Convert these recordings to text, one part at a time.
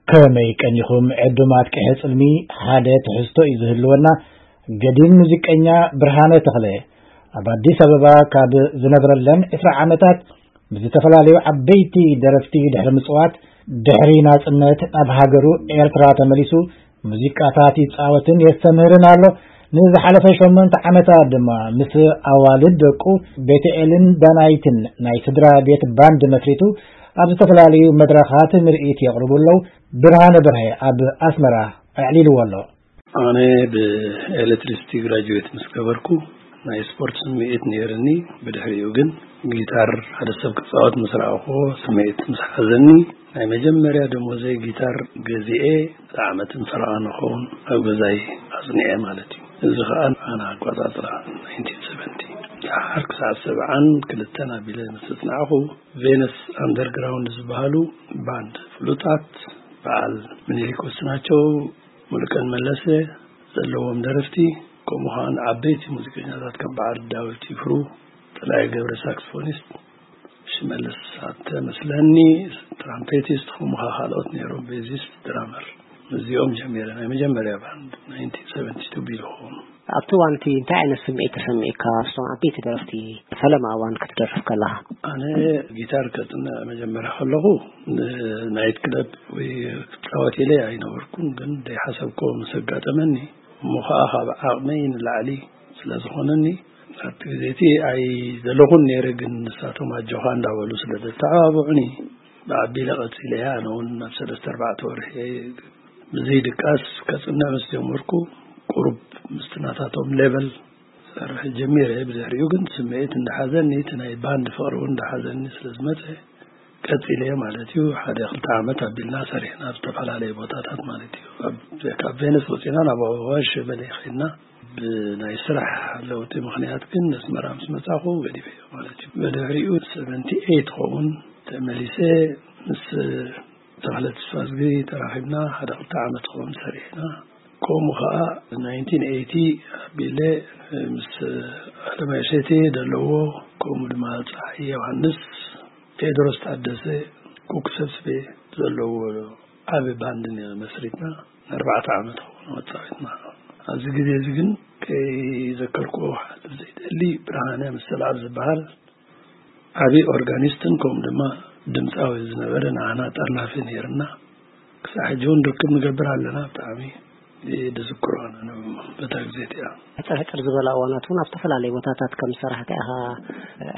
ከመይ ቀኒኹም ዕዱማት ቅሐ ጽልሚ? ሓደ ትሕዝቶ እዩ ዝህልወና። ገዲም ሙዚቀኛ ብርሃነ ተኽለ ኣብ ኣዲስ ኣበባ ካብ ዝነብረለን ዕስራ ዓመታት ምስ ዝተፈላለዩ ዓበይቲ ደረፍቲ ድሕሪ ምጽዋት፣ ድሕሪ ናጽነት ናብ ሃገሩ ኤርትራ ተመሊሱ ሙዚቃታት ይጻወትን የስተምህርን ኣሎ። ንዝሓለፈ ሸሞንተ ዓመታት ድማ ምስ ኣዋልድ ደቁ ቤተኤልን ዳናይትን ናይ ስድራ ቤት ባንድ መስሪቱ ኣብ ዝተፈላለዩ መድረኻት ምርኢት የቕርቡ ኣለዉ። ብርሃነ በርሀ ኣብ ኣስመራ ኣዕሊልዎ ኣሎ። ኣነ ብኤሌክትሪሲቲ ግራጁዌት ምስ ገበርኩ ናይ ስፖርት ስምዒት ነይርኒ። ብድሕሪኡ ግን ጊታር ሓደ ሰብ ክጻወት ምስ ረኣኹ ስምዒት ምስ ሓዘኒ፣ ናይ መጀመርያ ደሞዘይ ጊታር ገዚኤ ንዓመትን ፈረቓ ንኸውን ኣብ ገዛይ ኣጽኒዐ ማለት እዩ። እዚ ኸኣ ኣነ ኣቆጻጽራ ናይንቲን ሰቨንቲ። ደሓር ክሳዕ ሰብዓን ክልተን ኣቢለ ምስ ኣጽናዕኹ፣ ቬነስ ኣንደርግራውንድ ዝበሃሉ ባንድ ፍሉጣት በዓል ምኒልክ ወስናቸው፣ ሙሉቀን መለሰ ዘለዎም ደረፍቲ፣ ከምኡ ኸኣ ዓበይቲ ሙዚቀኛታት ከም በዓል ዳዊት ይፍሩ፣ ጥላይ ገብረ ሳክስፎኒስት፣ ሽመልስ ኣተ መስለኒ ትራምፔቲስት፣ ከምኡ ኸኣ ካልኦት ነይሮም፣ ቤዚስት፣ ድራመር። እዚኦም ጀሚረ ናይ መጀመርያ ባንድ ናይንቲን ሰቨንቲ ቱ ቢልኹም። ኣብቲ እዋን እቲ እንታይ ዓይነት ስምዒት ተሰሚዕካ? ምስቶም ዓበይቲ ደረፍቲ ፈለማ እዋን ክትደርፍ ከለኻ? ኣነ ጊታር ከጽንዕ መጀመርያ ከለኹ፣ ንናይት ክለብ ወይ ክጻወት ኢለ ኣይነበርኩን፣ ግን ዘይሓሰብክዎ ምስ ኣጋጠመኒ፣ እሞ ኸኣ ካብ ዓቕመይ ንላዕሊ ስለ ዝኾነኒ፣ ኣብቲ ግዜ እቲ ኣይደለኹን ነይረ፣ ግን ንሳቶም ኣጆኻ እንዳበሉ ስለ ዘተዓባብዑኒ፣ ብዓቢለ ቀጺለያ። ኣነ እውን ናብ ሰለስተ ኣርባዕተ ወርሒ ብዘይ ድቃስ ከጽንዕ ምስ ጀመርኩ፣ ቁሩብ ምስቲ ናታቶም ሌቨል ክሰርሕ ጀሚረ። ብድሕሪኡ ግን ስምዒት እንዳሓዘኒ፣ እቲ ናይ ባንድ ፍቕሪ እውን እንዳሓዘኒ ስለ ዝመጸ፣ ቀጺለ ማለት እዩ። ሓደ ክልተ ዓመት ኣቢልና ሰሪሕና ኣብ ዝተፈላለየ ቦታታት ማለት እዩ። ኣብ፣ ካብ ቬነስ ወጺና ናብ ኣዋሽ በለ ኸድና። ብናይ ስራሕ ለውጢ ምኽንያት ግን ኣስመራ ምስ መጻኹ ገዲፈዮ ማለት እዩ። ብድሕሪኡ ሰቨንቲ ኤይት ኸውን ተመሊሰ ምስ ተኽለ ተስፋዝጊ ተራኺብና ሓደ ክልተ ዓመት ኸውን ሰሪሕና። ከምኡ ኸኣ ናይንቲን ኤይቲ ኣቢለ ምስ ኣለማይ እሸቴ ደለዎ፣ ከምኡ ድማ ጸሓየ ዮሃንስ፣ ቴድሮስ ታደሰ፣ ኩኩ ሰብስቤ ዘለዎ ዓቢ ባንድ መስሪትና ንኣርባዕተ ዓመት ኾነ ተጻዊትና። ኣብዚ ግዜ እዚ ግን ከይዘከርክዎ ክሓልፍ ዘይደሊ፣ ብርሃነ መሰልኣብ ዝበሃል ዓቢ ኦርጋኒስትን ከምኡ ድማ ድምጻዊ ዝነበረ ንዓና ጠርናፊ ነይርና። ክሳዕ ሕጂ እውን ርክብ ንገብር ኣለና። ብጣዕሚ ድዝክሮ ኣነ በታ ግዜ እቲኣ። ሕጽር ሕጽር ዝበላ እዋናት እውን ኣብ ዝተፈላለዩ ቦታታት ከም ዝሰራሕካ ኢኻ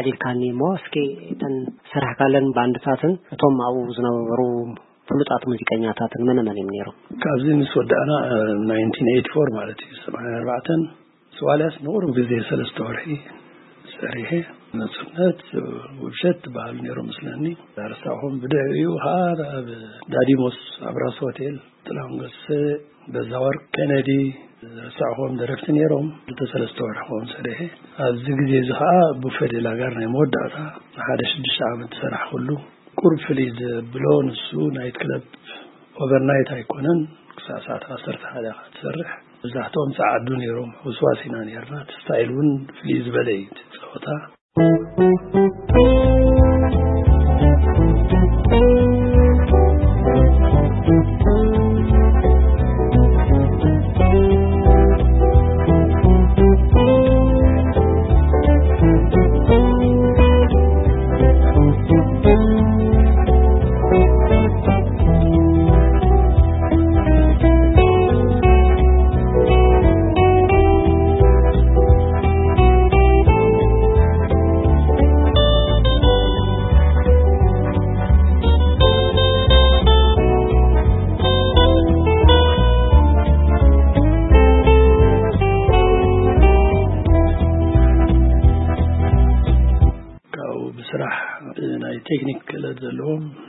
ዕሊልካኒ እሞ፣ እስኪ እተን ዝሰራሕካለን ባንድታትን እቶም ኣብኡ ዝነበሩ ፍሉጣት ሙዚቀኛታትን መነ መን እዮም ነይሮም? ካብዚ ምስ ወዳእና፣ እ፣ ናይንቲን ኤይቲ ፎር ማለት እዩ፣ ሰማንያ ኣርባዕተን፣ ዋልያስ ንቑሩብ ግዜ ሰለስተ ወርሒ ሰሪሐ፣ ነጽነት፣ ውብሸት ዝበሃሉ ነይሮም መስለኒ። ዳርሳኹም ብድሕሪኡ ኸዓ ኣብ ዳዲሞስ ኣብ ራስ ሆቴል ጥላሁን ገሰሰ፣ በዛወርቅ ኬነዲ፣ ዝረሳዕኹዎም ደረፍቲ ነይሮም። ክልተ ሰለስተ ወርሒ ክኸውን ሰሪሐ። ኣብዚ ግዜ እዚ ኸዓ ቡፌ ዴ ላጋር ናይ መወዳእታ ንሓደ ሽዱሽተ ዓመት ዝሰራሕኩሉ። ቁሩብ ፍልይ ዘብሎ ንሱ ናይት ክለብ ኦቨርናይት ኣይኮነን፣ ክሳብ ሰዓት ዓሰርተ ሓደ ኢኻ ትሰርሕ። መብዛሕትኦም ጸዓዱ ነይሮም፣ ሕውስዋስ ኢና ነይርና። እቲ ስታይል እውን ፍልይ ዝበለ እዩ እቲ ጸወታ።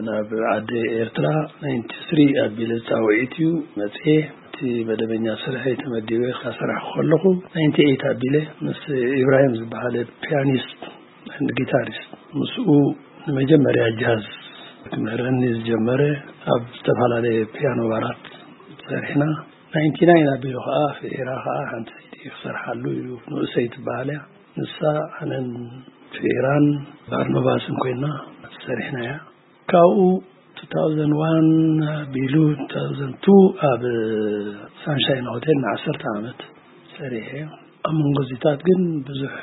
ናብ ዓዲ ኤርትራ ናይንቲ ስሪ ኣቢለ ጻውዒት እዩ መጽኤ። እቲ መደበኛ ስርሐይ ተመዲበ ካሰራሕ ከለኹ ናይንቲ ኤይት ኣቢለ ምስ ኢብራሂም ዝበሃለ ፒያኒስት ጊታሪስት ምስኡ ንመጀመርያ ጃዝ ክምህረኒ ዝጀመረ ኣብ ዝተፈላለየ ፒያኖ ባራት ጸሪሕና። ናይንቲ ናይን ኣቢሉ ከዓ ፍዒራ ከዓ ሓንቲ ሲዲ ክሰርሓሉ ኢሉ ንእሰይ ትበሃል እያ። ንሳ ኣነን ፍዒራን ባርኖባስን ኮይና ሰሪሕናያ። ካብኡ two thousand one ኣቢሉ two thousand two ኣብ ሳንሻይን ሆቴል ንዓሰርተ ዓመት ሰሪሐ። ኣብ መንጎ እዚታት ግን ብዙሕ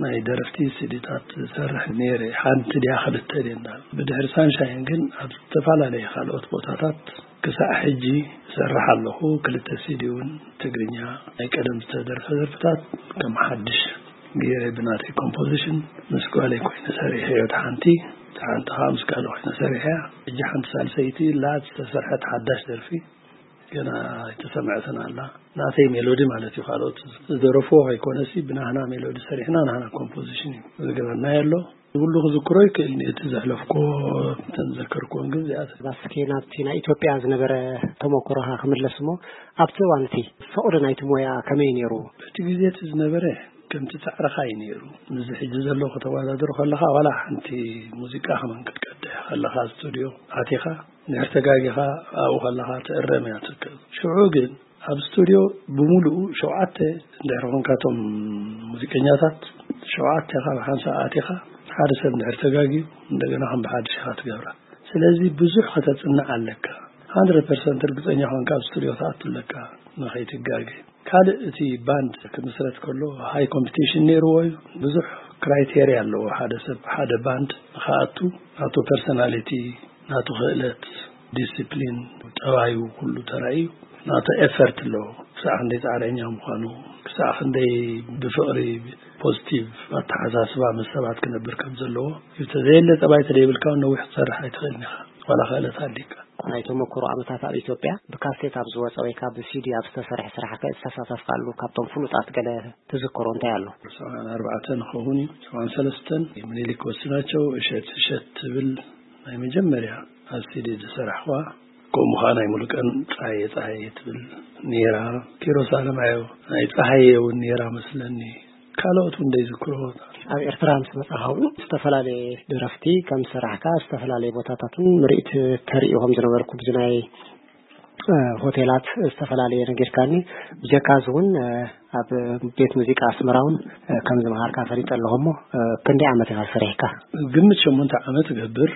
ናይ ደረፍቲ ሲዲታት ዝሰርሕ ነይረ። ሓንቲ ድያ ክልተ ድየ እንዳ ብድሕሪ ሳንሻይን ግን ኣብ ዝተፈላለየ ካልኦት ቦታታት ክሳዕ ሕጂ እሰርሕ ኣለኹ። ክልተ ሲዲ እውን ትግርኛ ናይ ቀደም ዝተደርፈ ደርፍታት ከም ሓድሽ ገይረ ብናተይ ኮምፖዚሽን ምስ ጓለይ ኮይነ ሰሪሐዮ። እቲ ሓንቲ እቲ ሓንቲ ከዓ ምስ ጋለ ኮይነ ሰሪሐያ። ሕጂ ሓንቲ ሳልሰይቲ ላ ዝተሰርሐት ሓዳሽ ደርፊ ገና ኣይተሰምዐትን ኣላ። ናተይ ሜሎዲ ማለት እዩ። ካልኦት ዝደረፍዎ ከይኮነሲ ብናህና ሜሎዲ ሰሪሕና ናህና ኮምፖዚሽን እዩ ዝገበርናዮ ኣሎ። ኩሉ ክዝክሮ ይክእል እቲ ዘሕለፍኮ ተዘከርኩዎን ግን እዚኣ ባስኬ ናብቲ ናይ ኢትዮጵያ ዝነበረ ተመክሮኻ ክምለስ እሞ ኣብቲ እዋን እቲ ፍቕሪ ናይቲ ሞያ ከመይ ነይሩ? በቲ ግዜ እቲ ዝነበረ ከምቲ ጻዕርኻ እዩ ነይሩ። ምስዚ ሕጂ ዘሎ ከተወዳድሮ ከለኻ ዋላ ሓንቲ ሙዚቃ ከማን ክትቀድሕ ከለኻ ስቱድዮ ኣቲኻ ንድሕር ተጋጊኻ ኣብኡ ከለኻ ትእረም እያ ትከ ሽዑ ግን ኣብ ስቱድዮ ብምሉኡ ሸውዓተ እንድሕር ኮንካቶም ሙዚቀኛታት ሸውዓተ ካብ ሓንሳ ኣቲኻ ሓደ ሰብ እንድሕር ተጋግዩ እንደገና ከም ብሓድሽ ኢኻ ትገብራ። ስለዚ ብዙሕ ከተጽንዕ ኣለካ። hundred percent ርግጸኛ ኮንካ ኣብ ስቱድዮ ትኣቱ ኣለካ ንኸይትጋገ። ካልእ እቲ ባንድ ክምስረት ከሎ ሃይ ኮምፒቲሽን ነይርዎ እዩ። ብዙሕ ክራይቴርያ ኣለዎ። ሓደ ሰብ ሓደ ባንድ ንኸኣቱ ናቱ ፐርሶናሊቲ ናቱ ክእለት ዲስፕሊን ጠባዩ ኩሉ ተራእዩ ናቱ ኤፈርት ኣለዎ። ክሳዕ ክንደይ ጻዕረኛ ምዃኑ ክሳዕ ክንደይ ብፍቕሪ ፖዚቲቭ ኣተሓሳስባ ምስ ሰባት ክነብር ከም ዘለዎ እዩ። ተዘየለ ጠባይ ተደይብልካ እውን ነዊሕ ክትሰርሕ ኣይትኽእልን ኢኻ ዋላ ክእለት ኣሊካ። ናይ ተመክሮ ዓመታት ኣብ ኢትዮጵያ ብካሴት ኣብ ዝወፀ ወይ ካብ ብሲዲ ኣብ ዝተሰርሐ ስራሕ ዝተሳተፍካሉ ካብቶም ፍሉጣት ገለ ትዝክሮ እንታይ ኣሎ? ሰብዓን ኣርባዕተን ክኸውን እዩ። ሰብዓን ሰለስተን ምኒልክ ወስናቸው እሸት እሸት ትብል ናይ መጀመርያ ኣብ ሲዲ ዝሰራሕዋ። ከምኡ ከዓ ናይ ሙሉቀን ፀሃየ ፀሃየ ትብል ነይራ። ኪሮስ ኣለማየሁ ናይ ፀሃየ እውን ነይራ መስለኒ። ካልኦት እውን ዘይዝክርዎ። ኣብ ኤርትራ ምስ መጻኻ እውን ዝተፈላለየ ደረፍቲ ከም ዝሰራሕካ ዝተፈላለየ ቦታታትን ምርኢት ተርኢ ከም ዝነበርኩ ብዚ ናይ ሆቴላት ዝተፈላለየ ነጊርካኒ። ብጀካ እዚ እውን ኣብ ቤት ሙዚቃ ኣስመራ እውን ከም ዝመሃርካ ፈሊጠ ኣለኹ። እሞ ክንደይ ዓመት ኢኻ ሰሪሕካ? ግምት ሸሞንተ ዓመት እገብር።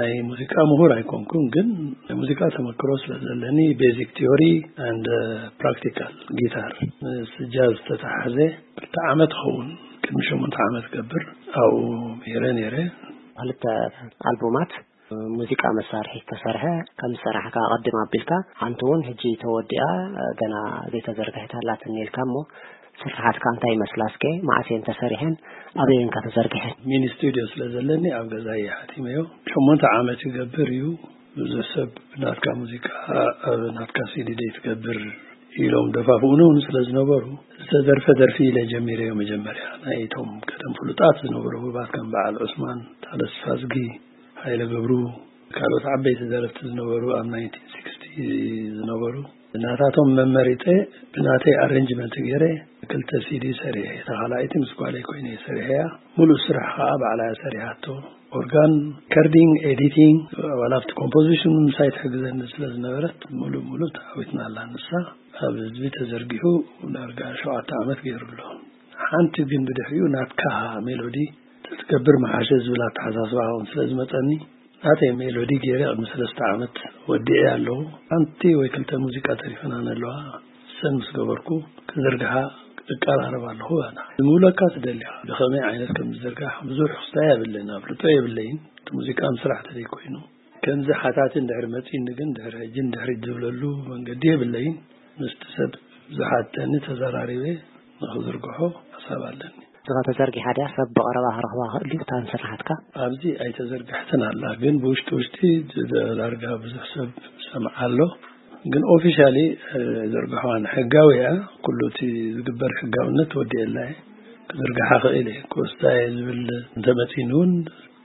ናይ ሙዚቃ ምሁር ኣይኮንኩን ግን ናይ ሙዚቃ ተመክሮ ስለ ዘለኒ ቤዚክ ቲዮሪ and ፕራክቲካል ጊታር ምስ ጃዝ ዝተተሓዘ ክልተ ዓመት ኸውን ቅድሚ ሸሞንተ ዓመት ገብር ኣብኡ ምሂረ ነይረ። ክልተ ኣልቡማት ሙዚቃ መሳርሒ ዝተሰርሐ ከም ዝሰራሕካ ኣቐድም ኣቢልካ ሓንቲ እውን ሕጂ ተወዲኣ ገና ዘይተዘርግሐት ኣላትኒ ኢልካ እሞ ስርሓትካ እንታይ ይመስላ እስከ? መዓስ እየን ተሰሪሐን ኣበይ እየን ከ ተዘርግሐን? ሚኒ ስቱድዮ ስለ ዘለኒ ኣብ ገዛ እየ ሓቲመዮ። ሸሞንተ ዓመት ይገብር እዩ። ብዙሕ ሰብ ናትካ ሙዚቃ ኣብ ናትካ ሲዲ ደይ ትገብር ኢሎም ደፋፍኡኒ እውን ስለ ዝነበሩ ዝተደርፈ ደርፊ ኢለ ጀሚረዮ። መጀመርያ ናይቶም ቀደም ፍሉጣት ዝነበሩ ህቡባት ከም በዓል ዑስማን ታደሰ ፋዝጊ፣ ሃይለ ገብሩ፣ ካልኦት ዓበይቲ ደረፍቲ ዝነበሩ ኣብ ናይንቲን ሲክስቲ ዝነበሩ ናታቶም መመሪጠ ብናተይ ኣሬንጅመንት ገይረ ክልተ ሲዲ ሰሪሐ። እታ ካልኣይቲ ምስ ጓለይ ኮይነ ሰሪሐያ። ሙሉእ ስራሕ ከዓ ባዕላ እያ ሰሪሓቶ። ኦርጋን፣ ከርዲንግ፣ ኤዲቲንግ፣ ዋላ ኣብቲ ኮምፖዚሽን ምሳይ ትሕግዘኒ ስለ ዝነበረት ሙሉእ ሙሉእ ተዓዊትና ኣላ ንሳ። ኣብ ህዝቢ ተዘርጊሑ ዳርጋ ሸውዓተ ዓመት ገይሩ ኣሎ። ሓንቲ ግን ብድሕሪኡ ናትካ ሜሎዲ ተትገብር መሓሸ ዝብል ኣተሓሳስባ እውን ስለ ዝመፀኒ ናተይ ሜሎዲ ገይረ ቅድሚ ሰለስተ ዓመት ወዲኤ ኣለኹ። ሓንቲ ወይ ክልተ ሙዚቃ ተሪፈናን ኣለዋ። እሰን ምስ ገበርኩ ክዝርግሓ እቀራረብ ኣለኹ። ኣና ዝምብለካ ትደሊ ኢኻ። ብኸመይ ዓይነት ከም ዝዝርጋሕ ብዙሕ ክስታይ የብለይን፣ ኣፍልጦ የብለይን። እቲ ሙዚቃ ምስራሕ ተደይ ኮይኑ ከምዚ ሓታቲ እንድሕር መጺኒ ግን ድሕሪ ሕጂ እንድሕሪ ዝብለሉ መንገዲ የብለይን። ምስቲ ሰብ ዝሓተኒ ተዘራሪበ ንኽዝርግሖ ሓሳብ ኣለኒ። እዚኻ ተዘርጊሓ ድያ? ሰብ ብቐረባ ክረኽባ ክእል ድዩ እታ ንስራሓትካ? ኣብዚ ኣይተዘርግሐትን ኣላ፣ ግን ብውሽጢ ውሽጢ ዳርጋ ብዙሕ ሰብ ሰምዓ ኣሎ። ግን ኦፊሻሊ ዘርግሐዋን ሕጋዊ እያ። ኩሉ እቲ ዝግበር ሕጋውነት ወዲኤላ እየ። ክዝርግሓ ክእል እየ። ክወስዳ እየ ዝብል እንተመጺኒ እውን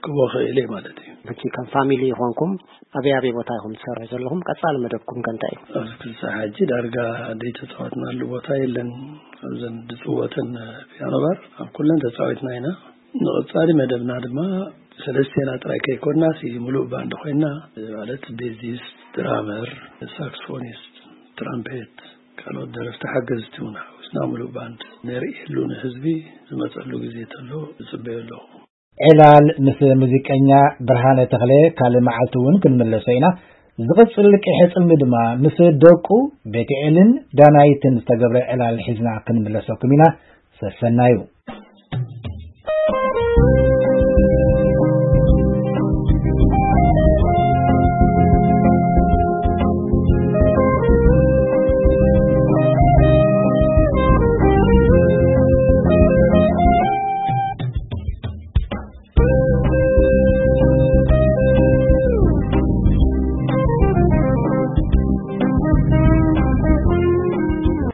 ክቦ ክእል እየ ማለት እዩ። ሕጂ ከም ፋሚሊ ይኾንኩም ኣበይ ኣበይ ቦታ ኢኹም ትሰርሑ ዘለኹም? ቀጻሊ መደብኩም ከ እንታይ እዩ? ኣብዚ ክሳዕ ሕጂ ዳርጋ ዘይተፃወትናሉ ቦታ የለን። ኣብዘን ዝፅወተን ፒያኖ ባር ኣብ ኩለን ተፃዊትና ኢና። ንቐፃሊ መደብና ድማ ሰለስቴና ጥራይ ከይኮንና ሲ ሙሉእ ባንድ ኮይና ማለት ቤዚስት፣ ድራመር፣ ሳክስፎኒስት፣ ትራምፔት፣ ካልኦት ደረፍቲ ሓገዝቲ እውን ሓዊስና ሙሉእ ባንድ ነርእየሉ ንህዝቢ ዝመፀሉ ግዜ ተሎ ዝፅበዮ ኣለኹ። ዕላል ምስ ሙዚቀኛ ብርሃነ ተኽለ ካልእ መዓልቲ እውን ክንምለሶ ኢና። ዝቕጽል ቅሒ ጽልሚ ድማ ምስ ደቁ ቤትኤልን ዳናይትን ዝተገብረ ዕላል ሒዝና ክንምለሰኩም ኢና። ሰሰናዩ።